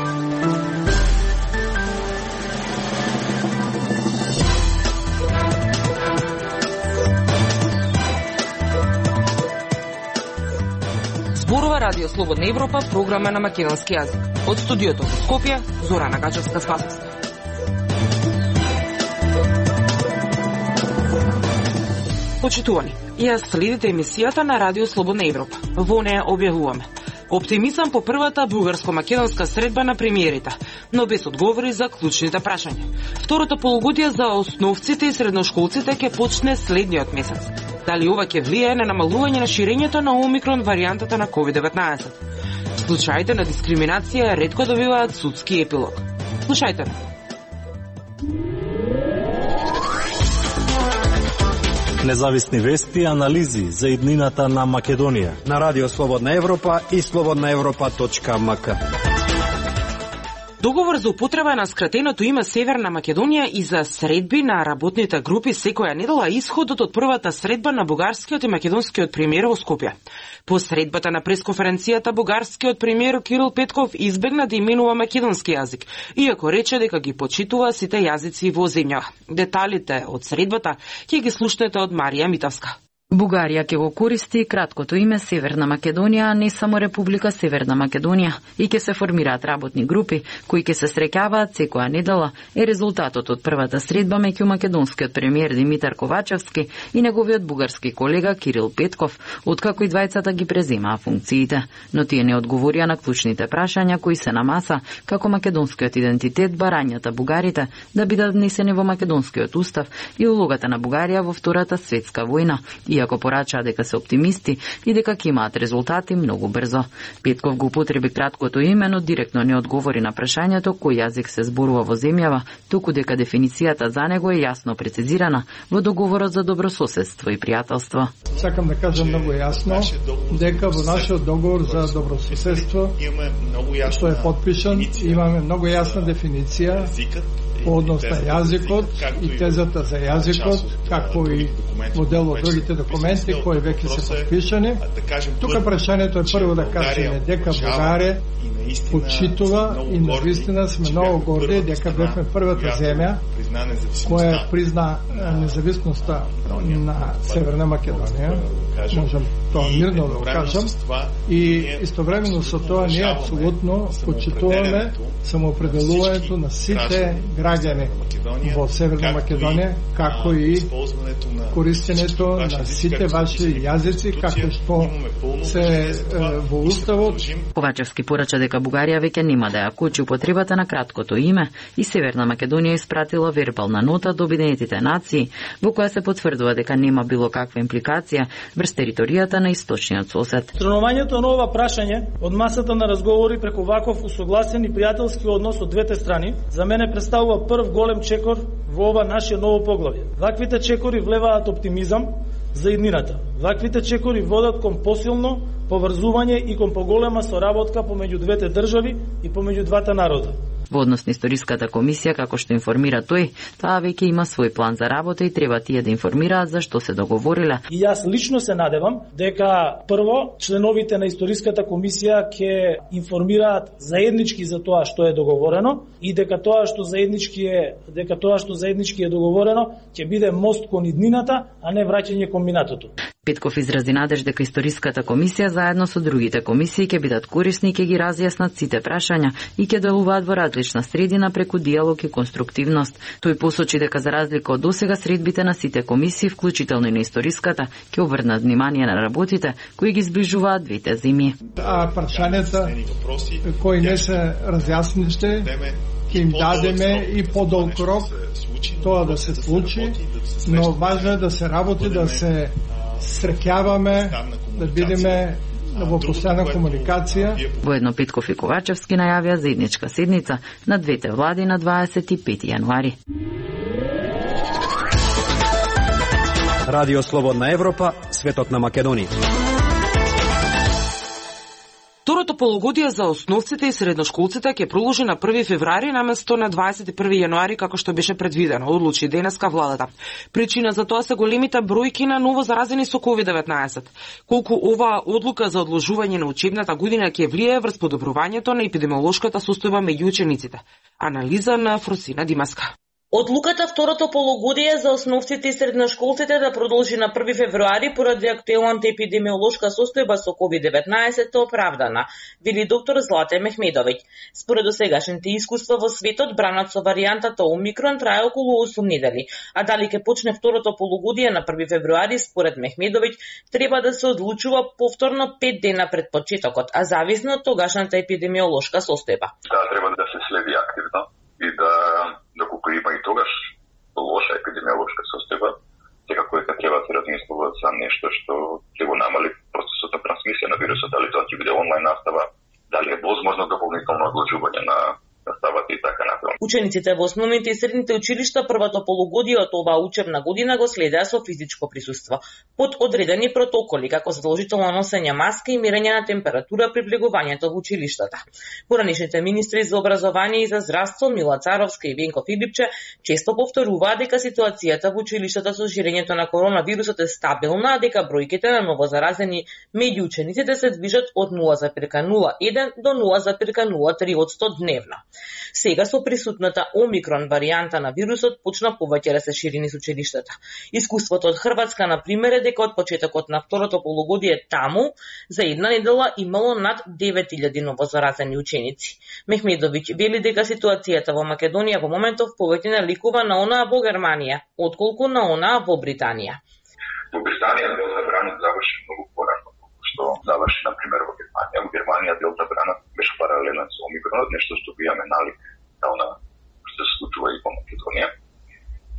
Зборува Радио Слободна Европа, програма на македонски јазик. Од студиото во Скопје, Зорана Гачевска-Спасовска. Почитувани, ја следите емисијата на Радио Слободна Европа. Во неја објавуваме оптимизам по првата бугарско-македонска средба на премиерите, но без одговори за клучните прашања. Второто полугодие за основците и средношколците ќе почне следниот месец. Дали ова ќе влијае на намалување на ширењето на Омикрон варијантата на COVID-19? Случаите на дискриминација ретко добиваат судски епилог. Слушајте ме. Независни вести и анализи за иднината на Македонија на Радио Слободна Европа и slobodnaevropa.mk. Договор за употреба на скратеното име Северна Македонија и за средби на работните групи секоја недела исходот од првата средба на бугарскиот и македонскиот премиер во Скопје. По средбата на пресконференцијата бугарскиот премиер Кирил Петков избегна да именува македонски јазик, иако рече дека ги почитува сите јазици во земјава. Деталите од средбата ќе ги слушнете од Марија Митавска. Бугарија ќе го користи краткото име Северна Македонија, а не само Република Северна Македонија, и ќе се формираат работни групи кои ќе се среќаваат секоја недела, е резултатот од првата средба меѓу македонскиот премиер Димитар Ковачевски и неговиот бугарски колега Кирил Петков, откако и двајцата ги преземаа функциите. Но тие не одговорија на клучните прашања кои се на маса, како македонскиот идентитет, барањата бугарите да бидат внесени во македонскиот устав и улогата на Бугарија во Втората светска војна, иако порачаа дека се оптимисти и дека ќе имаат резултати многу брзо. Петков го употреби краткото име, но директно не одговори на прашањето кој јазик се зборува во земјава, туку дека дефиницијата за него е јасно прецизирана во договорот за добрососедство и пријателство. Сакам да кажам многу јасно дека во нашиот договор за добрососедство, што е подпишан, имаме многу јасна дефиниција по однос на јазикот и тезата за јазикот, како и во дел од другите документи кои веќе се подпишани. Тука прашањето е прво да кажеме дека Бугарија почитува и навистина сме многу горди дека бевме првата земја која призна независноста на Северна Македонија. Можам тоа мирно да го кажам. И истовремено со тоа ние апсолутно почитуваме самоопределувањето на сите граѓани во Северна Македонија, како и користењето на сите ваши јазици, како што се во уставот. Ковачевски порача дека Бугарија веќе нема да ја кочи употребата на краткото име и Северна Македонија испратила вербална нота до Обединетите нации во која се потврдува дека нема било каква импликација врз територијата на источниот сосед. Странувањето на ова прашање од масата на разговори преку ваков усогласен и пријателски однос од двете страни за мене представува прв голем чекор во ова наше ново поглавје. Ваквите чекори влеваат оптимизам за иднината. Ваквите чекори водат кон посилно поврзување и кон поголема соработка помеѓу двете држави и помеѓу двата народа. Во однос на историската комисија, како што информира тој, таа веќе има свој план за работа и треба тие да информираат за што се договориле. И јас лично се надевам дека прво членовите на историската комисија ќе информираат заеднички за тоа што е договорено и дека тоа што заеднички е договорено ќе биде мост кон иднината, а не враќање кон минатото. Петков изрази надеж дека историската комисија заедно со другите комисии ќе бидат корисни и ќе ги разјаснат сите прашања и ќе делуваат во различна средина преку диалог и конструктивност. Тој посочи дека за разлика од досега средбите на сите комисии, вклучително и на историската, ќе обрнат внимание на работите кои ги зближуваат двете земи. Прашањата кои не се разјасниште ќе им дадеме и подолг рок тоа да се случи, но важно е да се работи, да се среќаваме, да бидеме во постојана комуникација. Воедно Петков и Ковачевски најавија заедничка седница на двете влади на 25 јануари. Радио Слободна Европа, светот на Македонија. Второто полугодие за основците и средношколците ќе продолжи на 1 февруари наместо на 21 јануари како што беше предвидено, одлучи денеска владата. Причина за тоа се големите бројки на ново заразени со COVID-19. Колку оваа одлука за одложување на учебната година ќе влијае врз подобрувањето на епидемиолошката состојба меѓу учениците? Анализа на Фросина Димаска. Одлуката второто полугодие за основците и средношколците да продолжи на 1 февруари поради актуелната епидемиолошка состојба со COVID-19 оправдана, вели доктор Злате Мехмедовиќ. Според досегашните искуства во светот, бранат со варијантата Омикрон трае околу 8 недели, а дали ќе почне второто полугодие на 1 февруари, според Мехмедовиќ, треба да се одлучува повторно 5 дена пред почетокот, а зависно од тогашната епидемиолошка состојба. Да, треба да се следи активно и доколку има и тогаш лоша епидемиолошка состојба, секако дека треба да се размислува за нешто што ќе го намали процесот на трансмисија на вирусот, дали тоа ќе биде онлайн настава, дали е возможно дополнително одложување на наставата и така натаму. Учениците во основните и средните училишта првото полугодие од оваа учебна година го следеа со физичко присуство, под одредени протоколи како задолжително носење маска и мерење на температура при влегувањето во училиштата. Поранешните министри за образование и за здравство Мила Царовска и Венко Филипче често повторуваат дека ситуацијата во училиштата со ширењето на коронавирусот е стабилна, а дека бројките на новозаразени меѓу учениците се движат од 0,01 до 0,03% дневно. Сега со присутната Омикрон варијанта на вирусот почна повеќе да се шири низ училиштата. Искуството од Хрватска, например, е дека од почетокот на второто полугодие таму за една недела имало над 9000 новозаразени ученици. Мехмедовиќ вели дека ситуацијата во Македонија во моментов повеќе наликува на онаа во Германија, отколку на онаа во Британија. Во Британија Делта бранот заврши многу порано, што заврши, например, во Германија. Во Германија Делта бранот беше паралелен со Омикронот, нешто што имаме налик на она што се случува и во Македонија.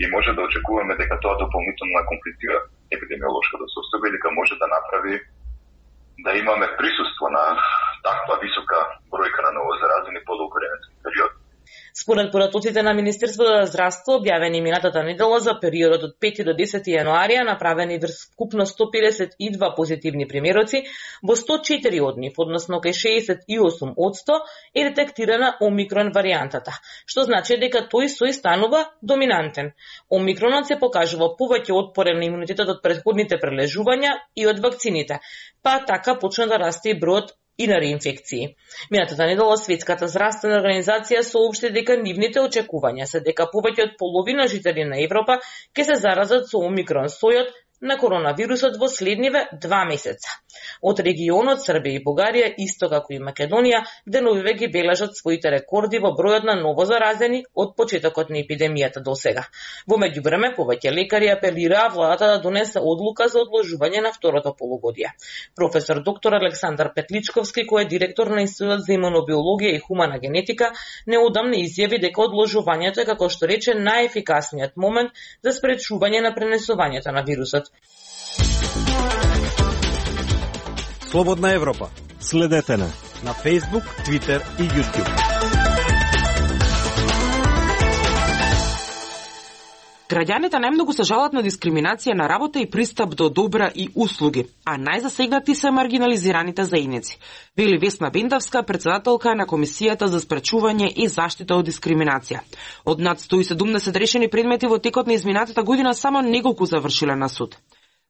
И може да очекуваме дека тоа дополнително комплицира епидемиолошката состојба и дека може да направи да имаме присуство на таква висока бројка на новозаразени подолго временски период. Според поратоците на Министерството за здравство, објавени минатата недела за периодот од 5 до 10 јануарија, направени врз вкупно 152 позитивни примероци, во 104 од нив, односно кај 68%, е детектирана Омикрон варијантата, што значи дека тој сој станува доминантен. Омикронот се покажува повеќе отпорен на имунитетот од претходните прележувања и од вакцините, па така почна да расте и бројот и на реинфекции. Минатата недела Светската здравствена организација соопшти дека нивните очекувања се дека повеќе од половина жители на Европа ќе се заразат со Омикрон сојот на коронавирусот во следниве 2 месеца. Од регионот Србија и Бугарија, исто како и Македонија, деновиве ги бележат своите рекорди во бројот на новозаразени од почетокот на епидемијата до сега. Во меѓувреме, повеќе лекари апелираа владата да донесе одлука за одложување на второто полугодие. Професор доктор Александар Петличковски, кој е директор на Институтот за имунобиологија и хумана генетика, неодамна изјави дека одложувањето е, како што рече, најефикасниот момент за спречување на пренесувањето на вирусот. Слободна Европа. Следете на Facebook, Twitter и YouTube. Граѓаните најмногу се жалат на дискриминација на работа и пристап до добра и услуги, а најзасегнати се маргинализираните заедници, вели Весна Бендавска, председателка на Комисијата за спречување и заштита од дискриминација. Од над 170 решени предмети во текот на изминатата година само неколку завршиле на суд.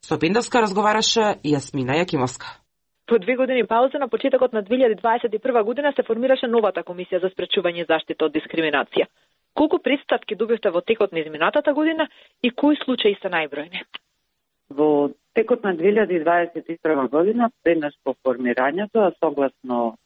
Со Бендавска разговараше Јасмина Јакимовска. По 2 години пауза на почетокот на 2021 година се формираше новата Комисија за спречување и заштита од дискриминација. Колку пристапки добивте во текот на изминатата година и кои случаи се најбројни? Во текот на 2021 година, преднаш по формирањето, а согласно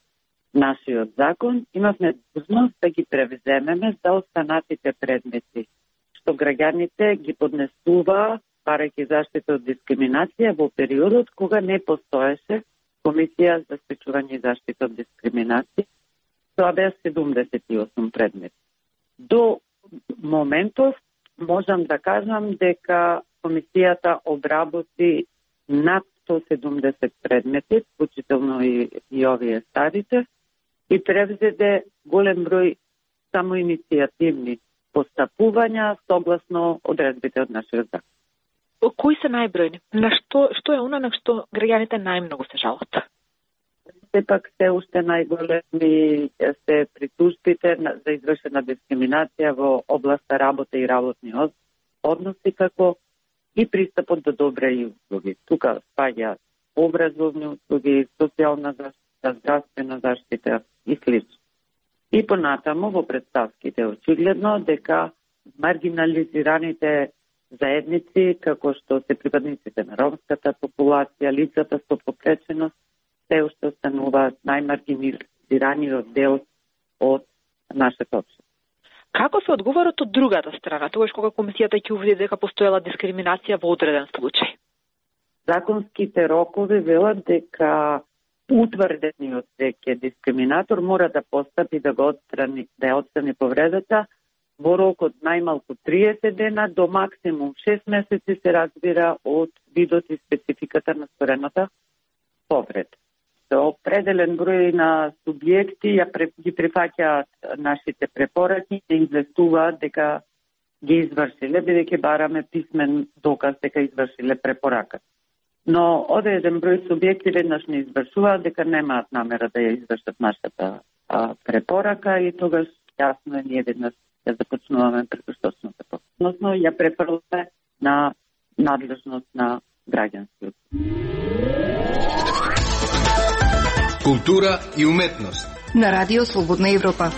нашиот закон, имавме длъжност да ги превземеме за останатите предмети, што граѓаните ги поднесува, барајќи заштита од дискриминација во периодот кога не постоеше Комисија за спречување и заштита од дискриминација. Тоа беа 78 предмети. До моментов можам да кажам дека Комисијата обработи над 170 предмети, вклучително и овие старите, и превзеде голем број само иницијативни постапувања согласно одредбите од нашиот закон. Кои се најбројни? На што е она на што граѓаните најмногу се жалат? сепак се уште најголеми се притужбите за извршена дискриминација во областа работа и работни односи, како и пристапот до добра и услуги. Тука спаѓа образовни услуги, социјална заштита, здравствена заштита и слично. И понатаму во претставките очигледно дека маргинализираните заедници, како што се припадниците на ромската популација, лицата со попреченост, се уште остануваат најмаргинализираниот дел од нашата општина. Како се одговорат од другата страна, тогаш кога комисијата ќе увиди дека постоела дискриминација во одреден случај? Законските рокови велат дека утврдениот веќе дискриминатор мора да постапи да ја отстрани повредата во рок од најмалку 30 дена до максимум 6 месеци, се разбира од видот и спецификата на створената повреда. Определен број на субјекти ги прифаќаат нашите препораки и известуваат дека ги извршиле, бидејќи бараме писмен доказ дека извршиле препораката. Но одреден број субјекти веднаш не извршуваат дека немаат намера да ја извршат нашата препорака и тогаш јасно е ние веднаш ја започнуваме предпоставната постапка. Односно ја префрламе на надлежност на граѓанскиот. Култура и уметност на Радио Слободна Европа.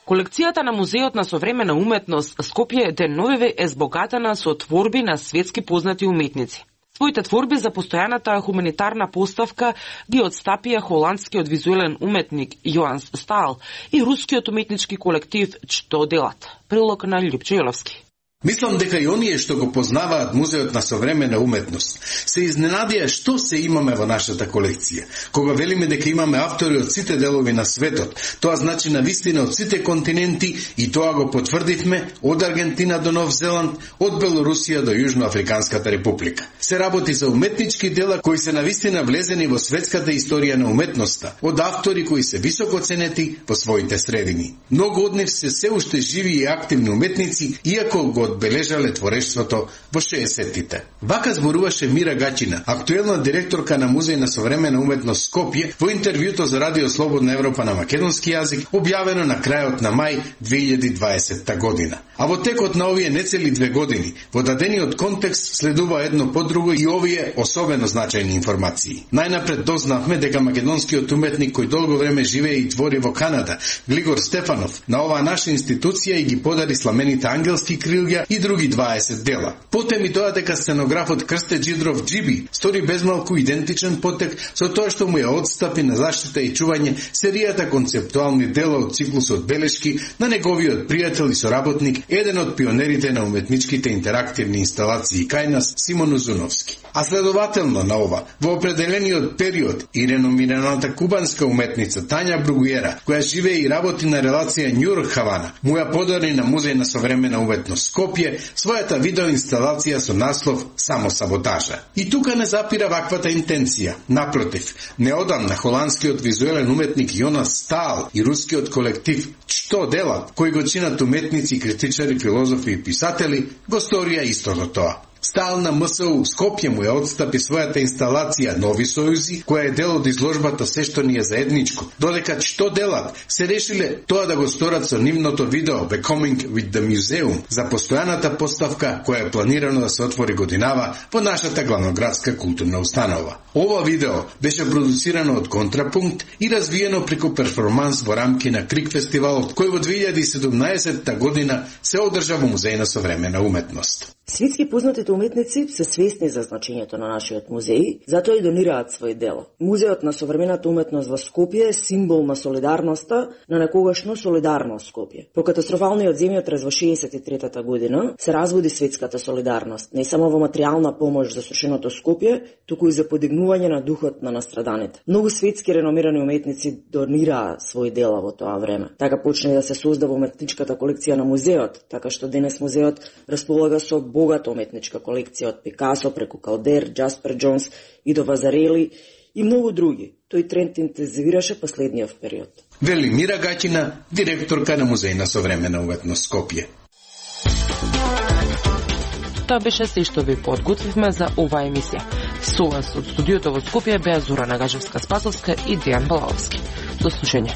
Колекцијата на Музеот на современа уметност Скопје деновиве е збогатена со творби на светски познати уметници. Своите творби за постојаната хуманитарна поставка ги отстапија холандскиот визуелен уметник Јоанс Стаал и рускиот уметнички колектив Што делат. Прилог на Љупчо Јоловски. Мислам дека и оние што го познаваат Музеот на современа уметност се изненадија што се имаме во нашата колекција. Кога велиме дека имаме автори од сите делови на светот, тоа значи на вистина од сите континенти и тоа го потврдивме од Аргентина до Нов Зеланд, од Белорусија до Јужноафриканската република. Се работи за уметнички дела кои се на вистина влезени во светската историја на уметноста, од автори кои се високо ценети во своите средини. Многу од нив се уште живи и активни уметници, иако го одбележале творештвото во 60-тите. Вака зборуваше Мира Гачина, актуелна директорка на Музеј на современа уметност Скопје, во интервјуто за Радио Слободна Европа на македонски јазик, објавено на крајот на мај 2020 година. А во текот на овие нецели 2 години, во дадениот контекст следува едно по друго и овие особено значајни информации. Најнапред дознавме дека македонскиот уметник кој долго време живее и твори во Канада, Глигор Стефанов, на оваа наша институција и ги подари сламените ангелски крилја и други 20 дела. Потем и тоа дека сценографот Крсте Джидров Джиби стори безмалку идентичен потек со тоа што му ја одстапи на заштита и чување серијата концептуални дела од циклусот белешки на неговиот пријател и соработник, еден од пионерите на уметничките интерактивни инсталации кај нас, Симон Узуновски. А следователно на ова, во определениот период и реномираната кубанска уметница Тања Бругуера, која живее и работи на релација Њујорк-Хавана, му ја подари на Музеј на современа уметност Скопје својата видеоинсталација со наслов Самосаботажа. И тука не запира ваквата интенција. Напротив, неодамна холандскиот визуелен уметник Јонас Стаал и рускиот колектив Што делат, кои го чинат уметници, критичари, филозофи и писатели, го сторија истото тоа. Стаал на МСУ Скопје му ја отстапи својата инсталација Нови сојузи, која е дел од изложбата Се што ни е заедничко, додека Што делат се решиле тоа да го сторат со нивното видео Becoming with the Museum за постојаната поставка која е планирано да се отвори годинава во нашата главноградска културна установа. Ова видео беше продуцирано од Контрапункт и развиено преку перформанс во рамки на Крик фестивалот, кој во 2017 година се одржа во Музеј на современа уметност. Светски познатите уметници се свесни за значењето на нашиот музеј, затоа и донираат свој дела. Музеот на современата уметност во Скопје е символ на солидарноста на некогашно солидарно Скопје. По катастрофалниот земјотрес во 63-та година се разводи светската солидарност, не само во материјална помош за срушеното Скопје, туку и за подигнување на духот на настраданите. Многу светски реномирани уметници донираа свој дела во тоа време. Така почна да се создава уметничката колекција на музеот, така што денес музеот располага со богата уметничка колекција од Пикасо преку Калдер, Джаспер Джонс и до Вазарели и многу други. Тој тренд интензивираше последниот период. Вели Мира Гачина, директорка на Музеј на современа уметност Скопје. Тоа беше се што ви подготвивме за оваа емисија. Со вас од студиото во Скопје беа Зора Нагажевска-Спасовска и Дејан Балаовски. До слушање.